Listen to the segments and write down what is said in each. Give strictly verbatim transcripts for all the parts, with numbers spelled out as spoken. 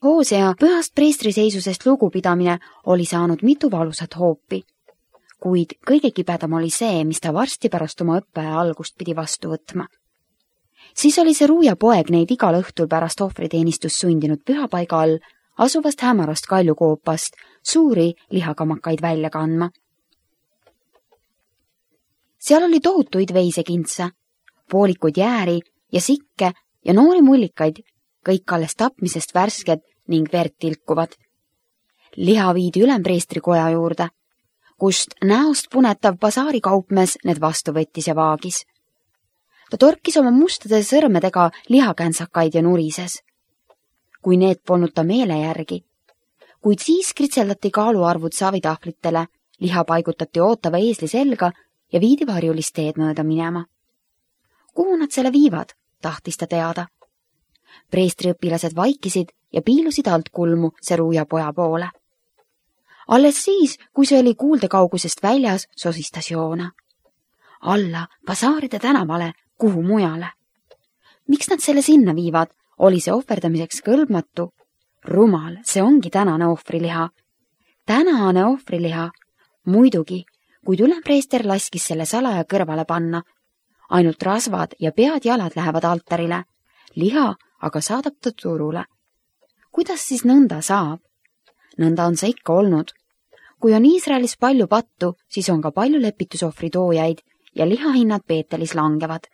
Hoosea pühast preestri seisusest lugupidamine oli saanud mitu valusat hoopi, kuid kõige kibedam oli see, mis ta varsti pärast oma õppeaja algust pidi vastu võtma. Siis oli see Ruuja poeg neid igal õhtul pärast ohvriteenistust sundinud pühapaiga all asuvast hämarast kaljukoopast suuri lihakamakaid välja kandma. Seal oli tohutuid veisekintse, poolikuid jääri ja sikke ja noori mullikaid, kõik alles tapmisest värsked ning verd tilkuvad. Liha viidi ülempreestri koja juurde, kust näost punetav basaari kaupmees need vastu võttis ja vaagis. Ta torkis oma mustade sõrmedega lihakänsakaid ja nurises, kui need polnud ta meele järgi. Kuid siis kritseldati kaaluarvud savitahvlitele, liha paigutati ootava eesli selga ja viidi varjulist teed mööda minema. Kuhu nad selle viivad, tahtis ta teada. Preestriõpilased vaikisid ja piilusid alt kulmu see Ruuja poja poole. Alles siis, kui see oli kuuldekaugusest väljas, sosistas Joona. Alla, basaaride tänavale, kuhu mujale. Miks nad selle sinna viivad? Oli see ohverdamiseks kõlbmatu? Rumal, see ongi tänane ohvriliha. Tänane ohvriliha. Muidugi, kuid ülempreester laskis selle salaja kõrvale panna. Ainult rasvad ja pead jalad lähevad altarile. Liha aga saadab ta turule. Kuidas siis nõnda saab? Nõnda on see ikka olnud. Kui on Iisraelis palju pattu, siis on ka palju lepitusohvri toojaid ja lihahinnad Peetelis langevad.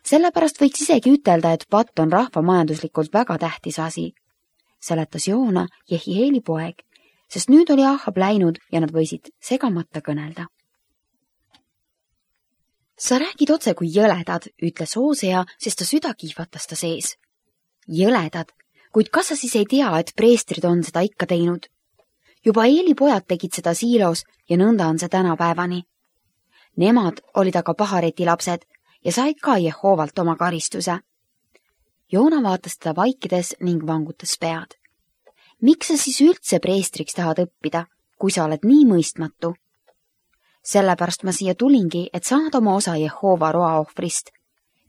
Sellepärast võiks isegi ütelda, et patt on rahva majanduslikult väga tähtis asi. Seletas Joona Jehieli poeg, sest nüüd oli Ahab läinud ja nad võisid segamata kõnelda. Sa räägid otse kui jõledad, ütles Hoosea, sest ta süda kiihvatas ta sees. Jõledad, kuid kas sa siis ei tea, et preestrid on seda ikka teinud? Juba Eeli pojad tegid seda siilos ja nõnda on see tänapäevani. Nemad olid aga pahareti lapsed ja said ka Jehovalt oma karistuse. Joona vaatas teda vaikides ning vangutas pead. Miks sa siis üldse preestriks tahad õppida, kui sa oled nii mõistmatu? Sellepärast ma siia tulingi, et saada oma osa Jehova roaohvrist,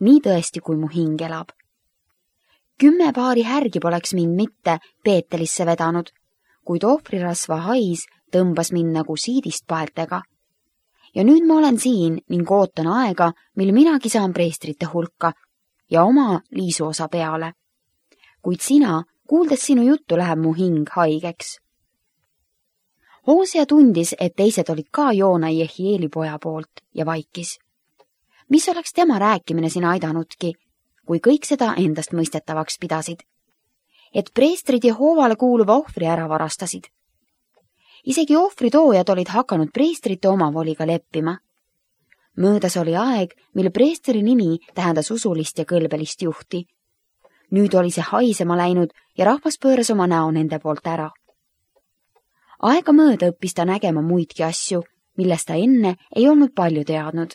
nii tõesti, kui mu hing elab. Kümme paari härgi poleks mind mitte Peetelisse vedanud, kuid ohvrirasva hais tõmbas mind nagu siidist paeltega. Ja nüüd ma olen siin ning ootan aega, mil minagi saan preestrite hulka ja oma liisu osa peale. Kuid sina, kuuldes sinu juttu, läheb mu hing haigeks. Hoosea tundis, et teised olid ka Joona Jehieli poja poolt ja vaikis. Mis oleks tema rääkimine siin aidanudki, kui kõik seda endast mõistetavaks pidasid? Et preestrid Jehovale kuuluva ohvri ära varastasid. Isegi ohvritoojad olid hakanud preestrite omavoliga leppima. Möödas oli aeg, mil preestri nimi tähendas usulist ja kõlbelist juhti. Nüüd oli see haisema läinud ja rahvas pööras oma näo nende poolt ära. Aega mööda õppis ta nägema muidki asju, millest ta enne ei olnud palju teadnud.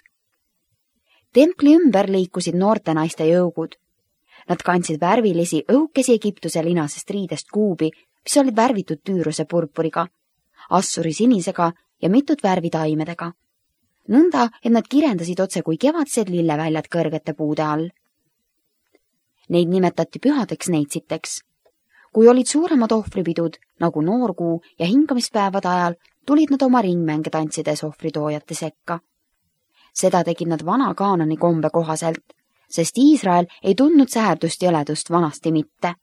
Templi ümber liikusid noorte naiste jõugud. Nad kandsid värvilisi õhukesi Egiptuse linasest riidest kuubi, mis olid värvitud tüüruse purpuriga, assuri sinisega ja mitut värvi taimedega. Nõnda, et nad kirendasid otse kui kevadsed lilleväljad kõrgete puude all. Neid nimetati pühadeks neitsiteks. Kui olid suuremad ohvripidud, nagu noorkuu ja hingamispäevade ajal, tulid nad oma ringmänge tantsides ohvritoojate sekka. Seda tegid nad vana Kaanani kombe kohaselt, sest Iisrael ei tundnud säherdust jõledust vanasti mitte.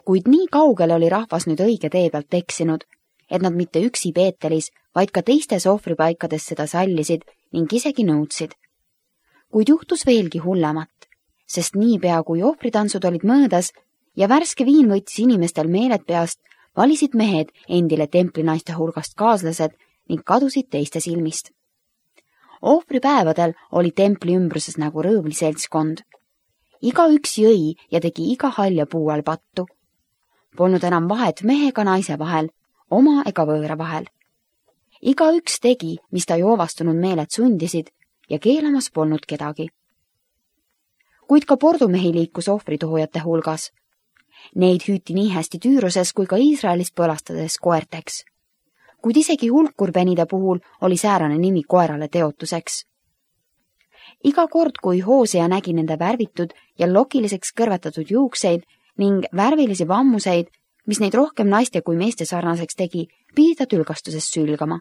Kuid nii kaugele oli rahvas nüüd õige tee pealt eksinud, et nad mitte üksi Peetelis, vaid ka teistes ohvripaikades seda sallisid ning isegi nõudsid. Kuid juhtus veelgi hullemat, sest niipea kui ohvritantsud olid möödas ja värske viin võttis inimestel meeled peast, valisid mehed endile templinaiste hulgast kaaslased ning kadusid teiste silmist. Ohvripäevadel oli templi ümbruses nagu rõõvli seltskond. Iga üks jõi ja tegi iga halja puu all pattu. Polnud enam vahet mehe ega naise vahel, oma ega võõra vahel. Iga üks tegi, mis ta joovastunud meeled sundisid ja keelamas polnud kedagi. Kuid ka pordumehi liikus ohvritoojate hulgas. Neid hüüti nii hästi Tüüruses kui ka Iisraelis põlastades koerteks. Kuid isegi hulkurpenide puhul oli säärane nimi koerale teotuseks. Iga kord, kui Hoosea nägi nende värvitud ja lokiliseks kõrvetatud juukseid ning värvilisi vammuseid, mis neid rohkem naiste kui meeste sarnaseks tegi, pidi ta tülgastusest sülgama.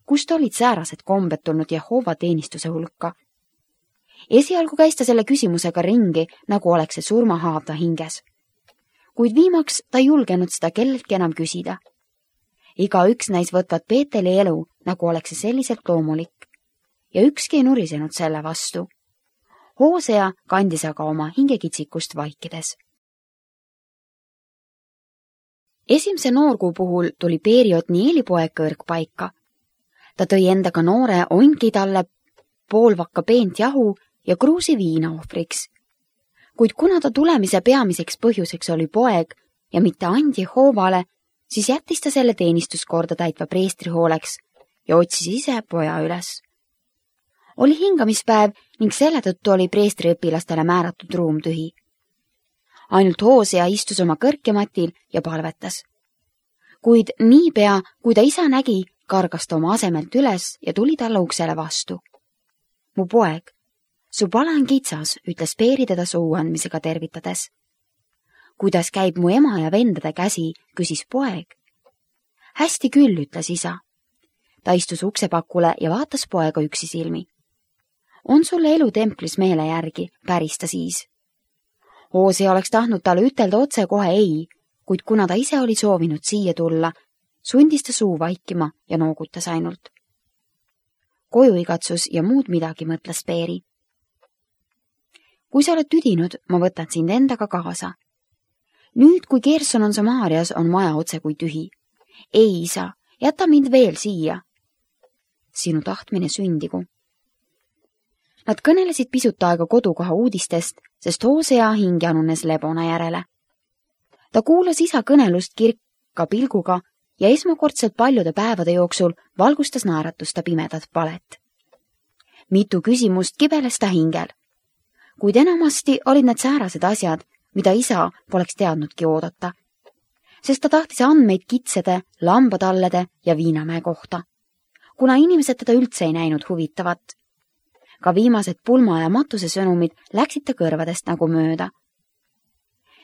Kust olid säärased kombed tulnud Jehova teenistuse hulka? Esialgu käis ta selle küsimusega ringi, nagu oleks see surmahaav ta hinges. Kuid viimaks ta ei julgenud seda kelleltki enam küsida. Iga üks näis võtvat Peeteli elu, nagu oleks see selliselt loomulik. Ja ükski ei nurisenud selle vastu. Hoosea kandis aga oma hingekitsikust vaikides. Esimese noorkuu puhul tuli Peeri Otnieli poeg kõrgpaika. Ta tõi endaga noore onki talle poolvakka peent jahu ja kruusi viina ohvriks. Kuid kuna ta tulemise peamiseks põhjuseks oli poeg ja mitte andi Jehovale, siis jättis ta selle teenistuskorda täitva preestri hooleks ja otsis ise poja üles. Oli hingamispäev ning selle tõttu oli preestri õpilastele määratud ruum tühi. Ainult Hoosea istus oma kõrkematil ja palvetas. Kuid niipea, kui ta isa nägi, kargas ta oma asemelt üles ja tuli talle uksele vastu. Mu poeg, su pale on kitsas, ütles Peeri teda suu andmisega tervitades. Kuidas käib mu ema ja vendade käsi, küsis poeg. Hästi küll, ütles isa. Ta istus uksepakule ja vaatas poega üksi silmi. On sulle elu templis meele järgi, päris ta siis. Hoosea oleks tahtnud talle ütelda otse kohe ei, kuid kuna ta ise oli soovinud siia tulla, sundis ta suu vaikima ja noogutas ainult. Kojuigatsus ja muud midagi, mõtles Peeri. Kui sa oled tüdinud, ma võtan sind endaga kaasa. Nüüd, kui Gerson on Samaarias, on maja otse kui tühi. Ei, isa, jäta mind veel siia. Sinu tahtmine sündigu. Nad kõnelesid pisut aega kodukoha uudistest, sest Hoosea hing janunes lebona järele. Ta kuulas isa kõnelust kirka pilguga ja esmakordselt paljude päevade jooksul valgustas naeratus ta pimedat palet. Mitu küsimust kibeles ta hingel, kuid enamasti olid need säärased asjad, mida isa poleks teadnudki oodata, sest ta tahtis andmeid kitsede, lambatallede ja viinamäe kohta, kuna inimesed teda üldse ei näinud huvitavat. Ka viimased pulma ja matuse sõnumid läksid ta kõrvadest nagu mööda.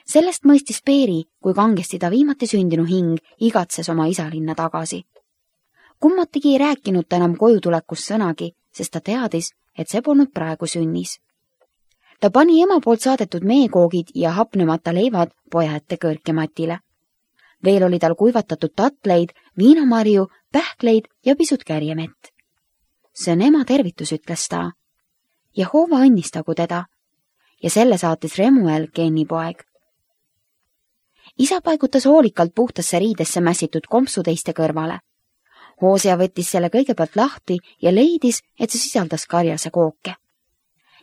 Sellest mõistis Peeri, kui kangesti ta viimati sündinu hing igatses oma isalinna tagasi. Kummatigi ei rääkinud ta enam kojutulekust sõnagi, sest ta teadis, et see polnud praegu sünnis. Ta pani ema poolt saadetud meekoogid ja hapnemata leivad poja ette kõrkematile. Veel oli tal kuivatatud tatleid, viinamarju, pähkleid ja pisut kärjemett. See on ema tervitus, ütles ta. Jehova õnnistagu teda ja selle saatis Remuel, Kenni poeg. Isa paigutas hoolikalt puhtasse riidesse mässitud kompsu teiste kõrvale. Hoosea võttis selle kõigepealt lahti ja leidis, et see sisaldas karjase kooke.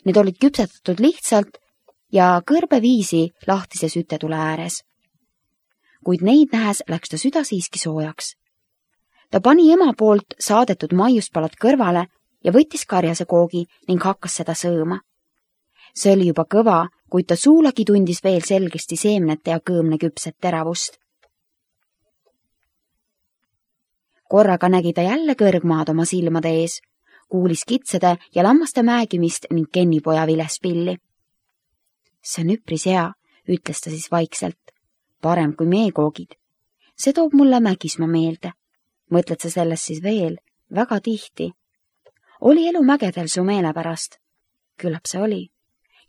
Need olid küpsetatud lihtsalt ja kõrbeviisi lahtise sütetule ääres. Kuid neid nähes läks ta süda siiski soojaks. Ta pani ema poolt saadetud maiuspalad kõrvale ja võttis karjase koogi ning hakkas seda sõõma. See oli juba kõva, kuid ta suulagi tundis veel selgesti seemnete ja kõõmne küpset teravust. Korraga nägi ta jälle kõrgmaad oma silmade ees, kuulis kitsede ja lammaste määgimist ning kennipoja vilespilli. See on üpris hea, ütles ta siis vaikselt. Parem kui meekoogid. See toob mulle Mägismaa meelde. Mõtled sa sellest siis veel? Väga tihti. Oli elu mägedel su meele pärast? Küllap see oli.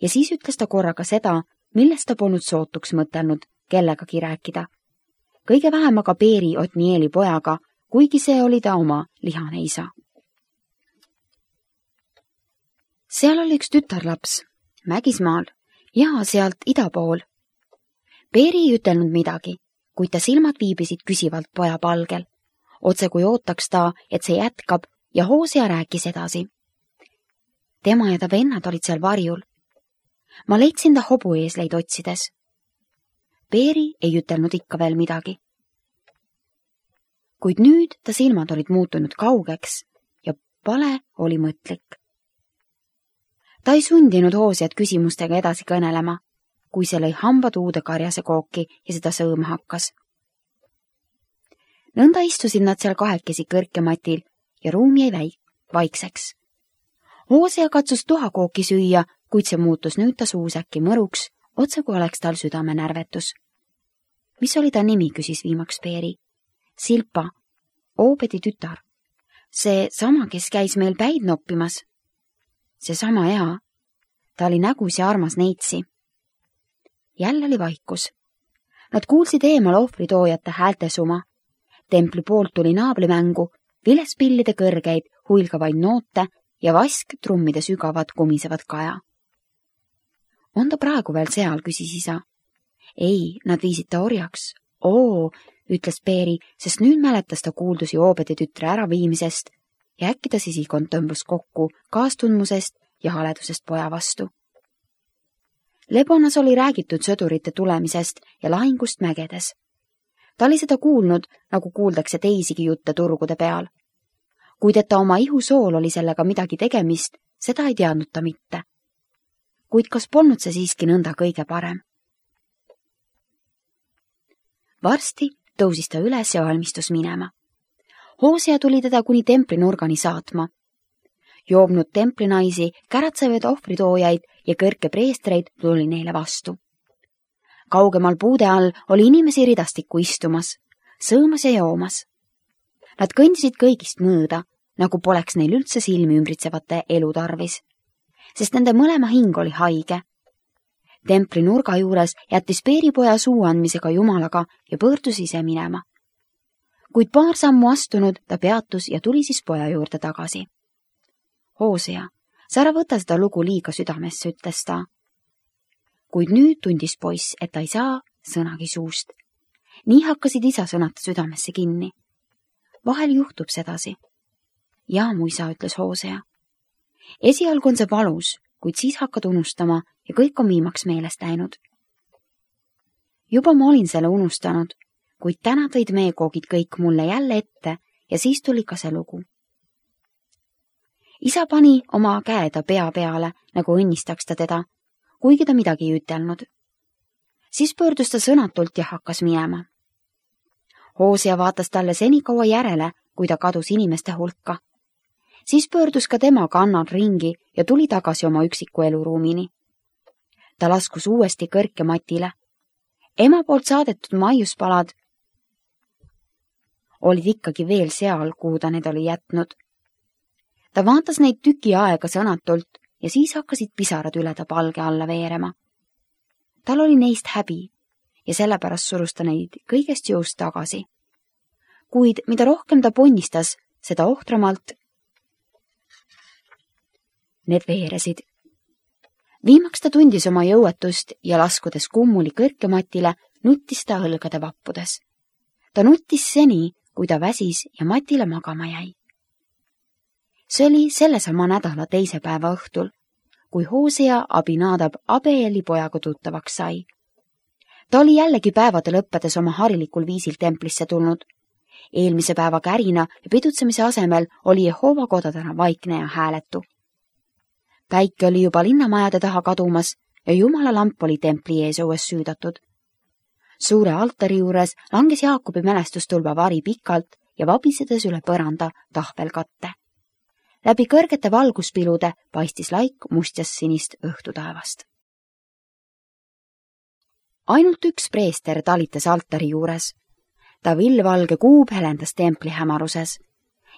Ja siis ütles ta korraga seda, millest ta polnud sootuks mõtelnud kellegagi rääkida. Kõige vähem aga Peeri Otnieli pojaga, kuigi see oli ta oma lihane isa. Seal oli üks tütarlaps, Mägismaal ja sealt ida pool. Peeri ei ütelnud midagi, kuid ta silmad viibisid küsivalt poja palgel. Otse kui ootaks ta, et see jätkab ja Hoosea rääkis edasi. Tema ja ta vennad olid seal varjul. Ma leidsin ta hobueesleid otsides. Peeri ei ütelnud ikka veel midagi. Kuid nüüd ta silmad olid muutunud kaugeks ja pale oli mõtlik. Ta ei sundinud Hooseat küsimustega edasi kõnelema, kui see lõi hambad uude karjase kooki ja seda sõõma hakkas. Nõnda istusid nad seal kahekesi kõrkematil ja ruum jäi väik, vaikseks. Hoosea katsus tuhakooki süüa, kuid see muutus nüüd ta suus äkki mõruks, otse kui oleks tal südamenärvetus. Mis oli ta nimi, küsis viimaks Peeri. Silpa, Oobedi tütar. See sama, kes käis meil päid noppimas. See sama hea. Ta oli nägus ja armas neitsi. Jälle oli vaikus. Nad kuulsid eemal ohvritoojate häältesuma. Templi poolt tuli naablimängu, vilespillide kõrgeid, huilgavaid noote ja vask trummide sügavad kumisevad kaja. On ta praegu veel seal, küsis isa. Ei, nad viisid ta orjaks. Oo, ütles Peeri, sest nüüd mäletas ta kuuldusi Oobedi tütre äraviimisest ja äkki ta sisikond tõmbus kokku kaastundmusest ja haledusest poja vastu. Lebonas oli räägitud sõdurite tulemisest ja lahingust mägedes. Ta oli seda kuulnud, nagu kuuldakse teisigi jutte turgude peal. Kuid et ta oma ihusool oli sellega midagi tegemist, seda ei teadnud ta mitte. Kuid kas polnud see siiski nõnda kõige parem? Varsti tõusis ta üles ja valmistus minema. Hoosea tuli teda kuni templi nurgani saatma. Joobnud templinaisi, käratsevaid ohvritoojaid ja kõrke preestreid tuli neile vastu. Kaugemal puude all oli inimesi ridastikku istumas, sõõmas ja joomas. Nad kõndisid kõigist mõõda, nagu poleks neil üldse silmi ümbritsevate elu tarvis, sest nende mõlema hing oli haige. Templi nurga juures jättis Peeripoja suu andmisega jumalaga ja pöördus ise minema. Kuid paar sammu astunud ta peatus ja tuli siis poja juurde tagasi. Hoosea, sa ära võta seda lugu liiga südamesse, ütles ta. Kuid nüüd tundis poiss, et ta ei saa sõnagi suust. Nii hakkasid isa sõnata südamesse kinni. Vahel juhtub sedasi. Jaa, mu isa, ütles Hoosea. Esialgu on see valus, kuid siis hakkad unustama ja kõik on viimaks meelest läinud. Juba ma olin selle unustanud, kuid täna tõid meekoogid kõik mulle jälle ette ja siis tuli ka see lugu. Isa pani oma käe ta pea peale, nagu õnnistaks ta teda, kuigi ta midagi ei ütelnud. Siis pöördus ta sõnatult ja hakkas minema. Hoosea vaatas talle senikaua järele, kui ta kadus inimeste hulka. Siis pöördus ka tema kannal ringi ja tuli tagasi oma üksiku eluruumini. Ta laskus uuesti kõrke matile. Ema poolt saadetud maiuspalad olid ikkagi veel seal, kuhu ta need oli jätnud. Ta vaatas neid tüki aega sõnatult ja siis hakkasid pisarad üle ta palge alla veerema. Tal oli neist häbi ja sellepärast surus ta neid kõigest jõust tagasi. Kuid mida rohkem ta ponnistas, seda ohtramalt need veeresid. Viimaks ta tundis oma jõuetust ja laskudes kummuli kõrkematile, nuttis ta õlgade vappudes. Ta nuttis seni, kui ta väsis ja matile magama jäi. See oli sellesama nädala teise päeva õhtul, kui Hoosea Abinadab Abeeli pojaga tuttavaks sai. Ta oli jällegi päevade lõppedes oma harilikul viisil templisse tulnud. Eelmise päeva kärina ja pidutsemise asemel oli Jehova kodadena vaikne ja hääletu. Päike oli juba linnamajade taha kadumas ja Jumala lamp oli templi ees õues süüdatud. Suure altari juures langes Jaakobi mälestustulba vari pikalt ja vabisedes üle põranda tahvelkatte. Läbi kõrgete valguspilude paistis laik mustjas sinist õhtutaevast. Ainult üks preester talitas altari juures. Ta villvalge kuub helendas templi hämaruses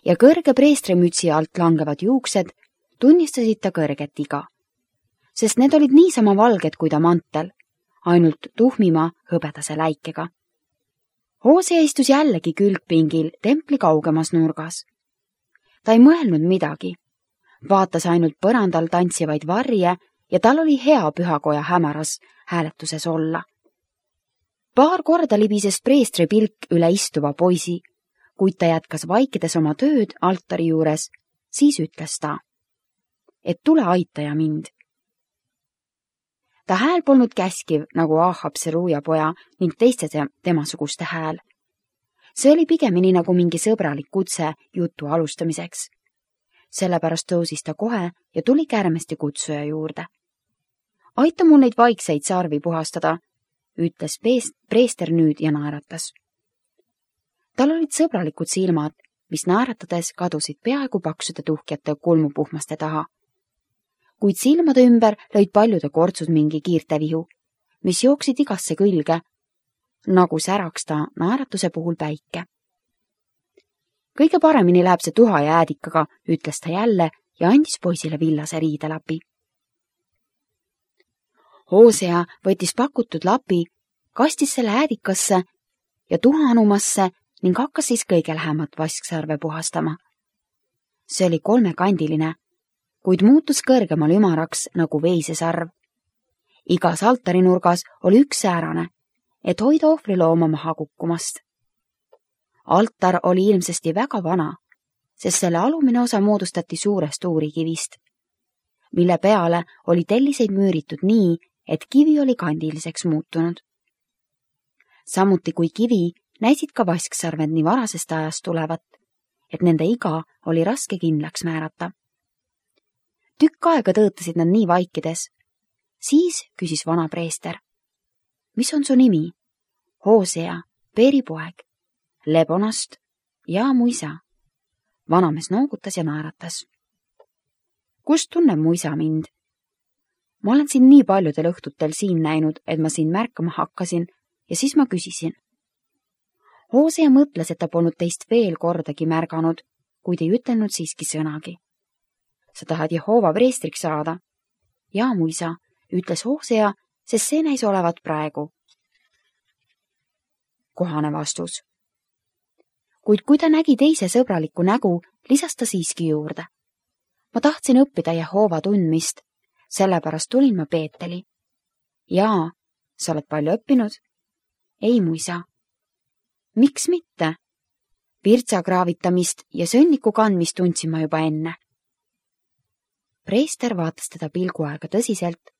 ja kõrge preestrimütsi alt langevad juuksed tunnistasid ta kõrget iga, sest need olid niisama valged kui ta mantel, ainult tuhmima hõbedase läikega. Hoosea istus jällegi külgpingil templi kaugemas nurgas. Ta ei mõelnud midagi, vaatas ainult põrandal tantsivaid varje ja tal oli hea pühakoja hämaras hääletuses olla. Paar korda libises preestri pilk üle istuva poisi, kuid ta jätkas vaikides oma tööd altari juures, siis ütles ta, et tule aitaja mind. Ta hääl polnud käskiv nagu Ahab Seruja poja ning teiste temasuguste hääl. See oli pigemini nagu mingi sõbralik kutse jutu alustamiseks. Sellepärast tõusis ta kohe ja tuli kärmesti kutsuja juurde. Aita mul neid vaikseid sarvi puhastada, ütles preester nüüd ja naeratas. Tal olid sõbralikud silmad, mis naeratades kadusid peaaegu paksude tuhkjate kulmupuhmaste taha. Kuid silmade ümber lõid paljude kortsud mingi kiirtevihu, mis jooksid igasse külge, nagu säraks ta naeratuse puhul päike. Kõige paremini läheb see tuha ja äädikaga, ütles ta jälle ja andis poisile villase riidelapi. Hosea võttis pakutud lapi, kastis selle äädikasse ja tuha-anumasse ning hakkas siis kõige lähemat vasksarve puhastama. See oli kolmekandiline, kuid muutus kõrgemal ümaraks nagu veisesarv. Igas altarinurgas oli üks säärane, et hoida ohvrilooma maha kukkumast. Altar oli ilmsesti väga vana, sest selle alumine osa moodustati suurest uurikivist, mille peale oli telliseid müüritud nii, et kivi oli kandiliseks muutunud. Samuti kui kivi näisid ka vasksarved nii varasest ajast tulevat, et nende iga oli raske kindlaks määrata. Tükk aega tõõtasid nad nii vaikides. Siis küsis vana preester. Mis on su nimi? Hosea, Peeri poeg, Lebonast ja mu isa. Vanamees noogutas ja naeratas. Kust tunneb mu isa mind? Ma olen siin nii paljudel õhtutel siin näinud, et ma siin märkama hakkasin ja siis ma küsisin. Hosea mõtles, et ta polnud teist veel kordagi märganud, kuid ei ütelnud siiski sõnagi. Sa tahad Jehova preestriks saada? Ja mu isa, ütles Hosea, sest see näis olevat praegu. Kohane vastus. Kuid kui ta nägi teise sõbraliku nägu, lisas ta siiski juurde. Ma tahtsin õppida Jehova tundmist, sellepärast tulin ma Peeteli. Jaa, sa oled palju õppinud? Ei, mu isa. Miks mitte? Virtsa kraavitamist ja sõnniku kandmist tundsin ma juba enne. Preester vaatas teda pilgu aega tõsiselt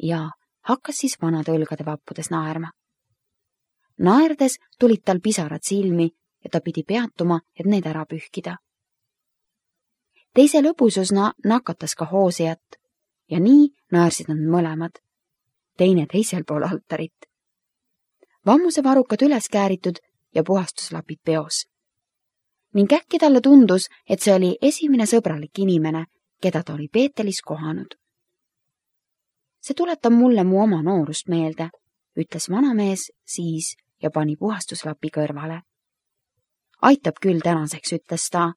ja hakkas siis vanade õlgade vappudes naerma. Naerdes tulid tal pisarad silmi ja ta pidi peatuma, et need ära pühkida. Teise lõbususna nakatas ka Hoseat ja nii naersid nad mõlemad, teine teisel pool altarit. Vammuse varukad üles kääritud ja puhastuslapid peos. Ning äkki talle tundus, et see oli esimene sõbralik inimene, keda ta oli Peetelis kohanud. See tuletab mulle mu oma noorust meelde, ütles vanamees siis ja pani puhastuslapi kõrvale. Aitab küll tänaseks, ütles ta,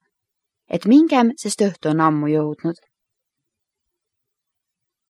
et mingem, sest õhtu on ammu jõudnud.